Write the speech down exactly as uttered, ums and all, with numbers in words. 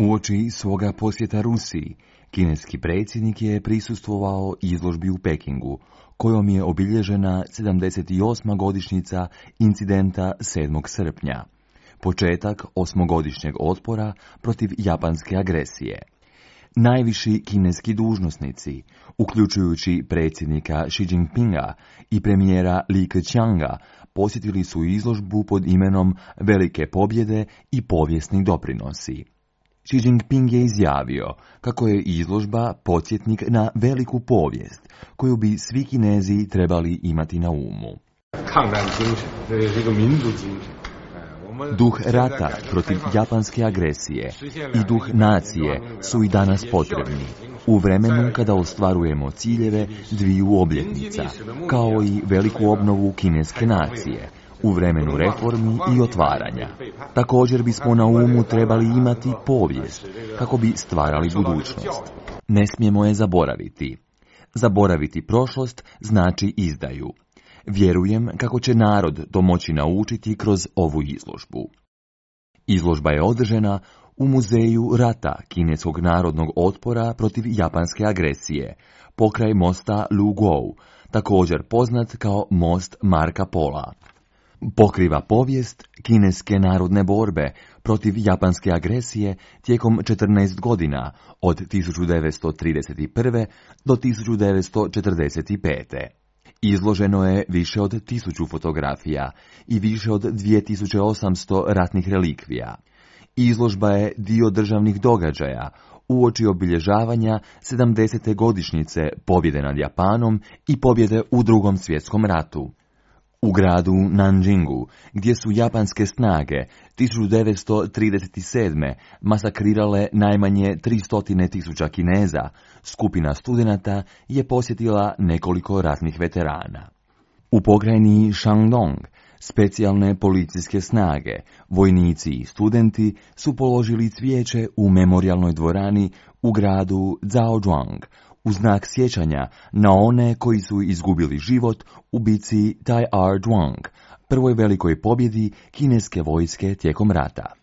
Uoči svoga posjeta Rusiji, kineski predsjednik je prisustvovao izložbi u Pekingu, kojom je obilježena sedamdeset osma godišnjica incidenta sedmog srpnja, početak osmogodišnjeg otpora protiv japanske agresije. Najviši kineski dužnosnici, uključujući predsjednika Xi Jinpinga i premijera Li Keqianga, posjetili su izložbu pod imenom Velike pobjede i povijesni doprinosi. Xi Jinping je izjavio kako je izložba podsjetnik na veliku povijest, koju bi svi Kinezi trebali imati na umu. Duh rata protiv japanske agresije i duh nacije su i danas potrebni, u vremenu kada ostvarujemo ciljeve dviju obljetnica, kao i veliku obnovu kineske nacije, u vremenu reformi i otvaranja. Također bismo na umu trebali imati povijest, kako bi stvarali budućnost. Ne smijemo je zaboraviti. Zaboraviti prošlost znači izdaju. Vjerujem kako će narod to moći naučiti kroz ovu izložbu. Izložba je održana u Muzeju rata kineskog narodnog otpora protiv japanske agresije, pokraj mosta Lugou, također poznat kao most Marka Pola. Pokriva povijest kineske narodne borbe protiv japanske agresije tijekom četrnaest godina, od tisuću devetsto trideset prve. do tisuću devetsto četrdeset pete. Izloženo je više od tisuću fotografija i više od dvije tisuće osamsto ratnih relikvija. Izložba je dio državnih događaja uoči obilježavanja sedamdesete godišnjice pobjede nad Japanom i pobjede u Drugom svjetskom ratu. U gradu Nanjingu, gdje su japanske snage tisuću devetsto trideset sedme. masakrirale najmanje tristo tisuća Kineza, skupina studenata je posjetila nekoliko ratnih veterana. U pokrajini Shandong, specijalne policijske snage, vojnici i studenti su položili cvijeće u memorijalnoj dvorani u gradu Zhaozhuang, u znak sjećanja na one koji su izgubili život u bici Tai Er Zhuang, prvoj velikoj pobjedi kineske vojske tijekom rata.